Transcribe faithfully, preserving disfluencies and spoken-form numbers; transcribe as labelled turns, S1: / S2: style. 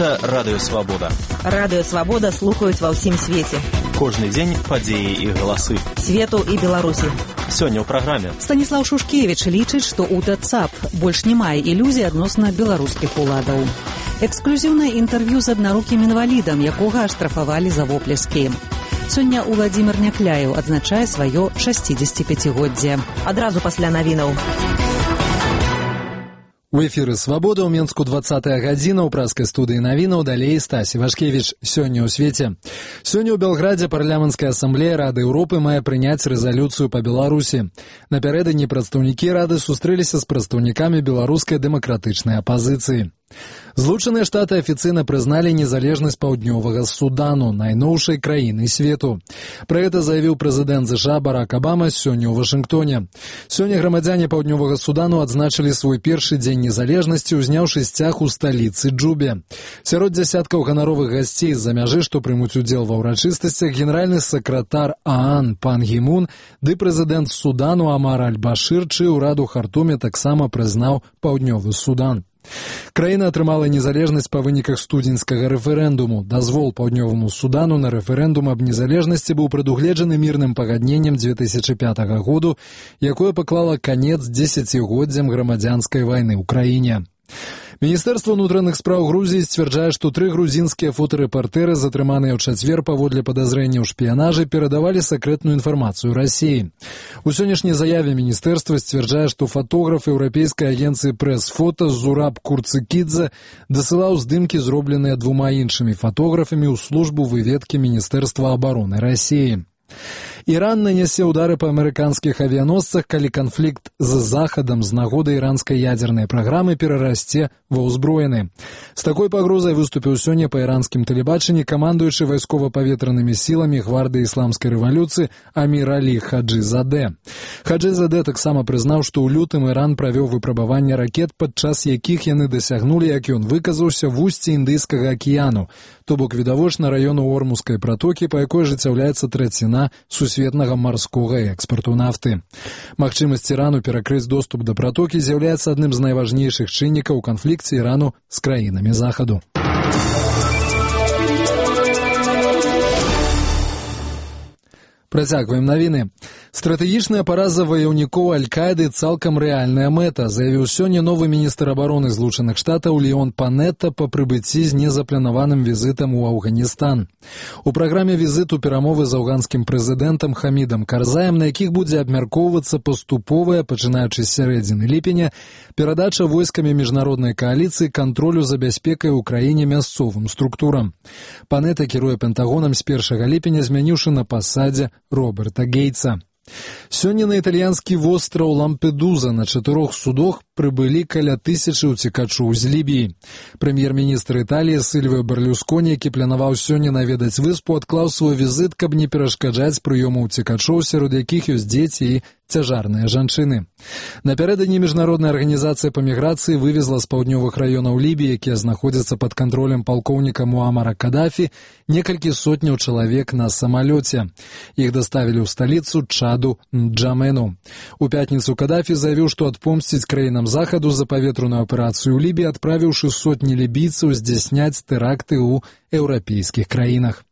S1: Гэта Радыё Свабода.
S2: Радыё Свабода слухаюць ва ўсім свеце.
S1: Кожны дзень падзеі і галасы.
S2: Свету і Беларусі.
S1: Сёння ў праграме.
S3: Станіслаў Шушкевіч лічыць, што УТ ЦАП больш не мае ілюзій адносна беларускіх уладаў. Эксклюзіўнае інтэрв'ю з аднарукім інвалідам, якога аштрафавалі за воплескі. Сёння Уладзімір Някляеў адзначае сваё шасцідзесяціпяцігоддзе.
S2: Адразу пасля навінаў.
S4: У эфіры «Свабода» ў Менску двадцатая гадзіна, ў праскай студыі навінаў, далей Стасі Вашкевіч. Сёння ў свеце. Сёння ў Белградзе парламенцкая асамблея Рады Еўропы мае прыняць рэзалюцыю па Беларусі. Напярэдадні прадстаўнікі Рады сустрэліся з прадстаўнікамі беларускай дэмакратычнай апазіцыі. Злучаныя Штаты афіцыйна прызналі незалежнасць Паўднёвага Судану, найноўшай краіны свету. Пра гэта заявіў прэзідэнт ЗША Барак Абама сёння ў Вашынгтоне. Сёння грамадзяне Паўднёвага Судану адзначылі свой першы дзень незалежнасці, узняўшы сцяг у сталіцы Джубе. Сярод дзясяткаў ганаровых гасцей з-за мяжы, што прымуць удзел ва ўрачыстасцях, генеральны сакратар ААН Пан Гі Мун ды прэзідэнт Судану Амар Аль-Башыр, чый урад у Хартуме таксама прызнаў Паўднёвы Судан. Краіна атрымала незалежнасць па выніках студзеньскага рэферэндуму. Дазвол Паўднёваму Судану на рэферэндум аб незалежнасці быў прадугледжаны мірным пагадненнем дзве тысячы пятага году, якое паклала канец дзесяцігоддзям грамадзянскай вайны ў краіне. Міністэрства ўнутраных спраў Грузіі сцвярджае, што тры грузінскія фотарэпартэры, затрыманыя ў чацвер паводле падазрэння ў шпіянажы, перадавалі сакрэтную інфармацыю Расіі. У сённяшняй заяве міністэрства сцвярджае, што фотограф еўрапейскай агенцыі прэс-фота Зураб Курцыкідзе дасылаў здымкі, зробленыя двума іншымі фотографамі ў службу выведкі Міністэрства абароны Расіі. Іран нанясе ўдары па амерыканскіх авіяносцах, калі канфлікт з Захадам з нагоды іранскай ядзернай праграмы перарасце ва ўзброены. З такой пагрозай выступіў сёння па іранскім тэлебачанні камандуючы вайскова-паветранымі сіламі гвардыі ісламскай рэвалюцыі Амір Алі Хаджызадэ. Хаджызадэ таксама прызнаў, што ў лютым Іран правёў выпрабаванне ракет, падчас якіх яны дасягнулі, як ён выказаўся, вусці Індыйскага акіяну, то бок відавочна раёну Ормузскай пратокі, па якой ажыццяўляецца траціна сусветнага марскога экспарту нафты. Магчымасць Ірану перакрыць доступ да пратокі з'яўляецца адным з найважнейшых чыннікаў у канфлікце Ірану з краінамі Захаду. Працягваем навіны. Стратэгічная параза ваяўнікоў Аль-Каіды цалкам рэальная мэта, заявіў сёння новы міністр абароны Злучаных Штатаў Леон Панетта па прыбыцці з незапланаваным візітам у Афганістан. У праграме візіту перамовы з афганскім прэзідэнтам Хамідам Карзаем, на якіх будзе абмяркоўвацца паступовая, пачынаючы з сярэдзіны ліпеня, перадача войскамі міжнароднай кааліцыі кантролю за бяспекай у краіне мясцовым структурам. Панетта кіруе Пентагонам з першага ліпеня, змяніўшы на пасадзе Роберта Гейтса. Сёння на італьянскі востраў Лампедуза на чатырох судах прыбылі каля тысячы ўцекачоў з Лібіі. Прэм'ер-міністр Італіі Сільвіо Берлюсконі, які планаваў сёння наведаць выспу, адклаў свой візіт, каб не перашкаджаць прыёму ўцекачоў, сярод якіх ёсць дзеці і цяжарныя жанчыны. Напярэдадні міжнародная арганізацыя па міграцыі вывезла з паўднёвых раёнаў Лібіі, якія знаходзяцца пад кантролем палкоўніка Муамара Кадафі, некалькі сотняў чалавек на самалёце. Іх даставілі ў сталіцу Чаду Нджамену. У пятніцу Кадафі заявіў, што адпомсціць краінам Захаду за паветраную аперацыю ў Лібіі, адправіўшы сотні лібійцаў здзяйсняць тэракты ў еўрапейскіх краінах.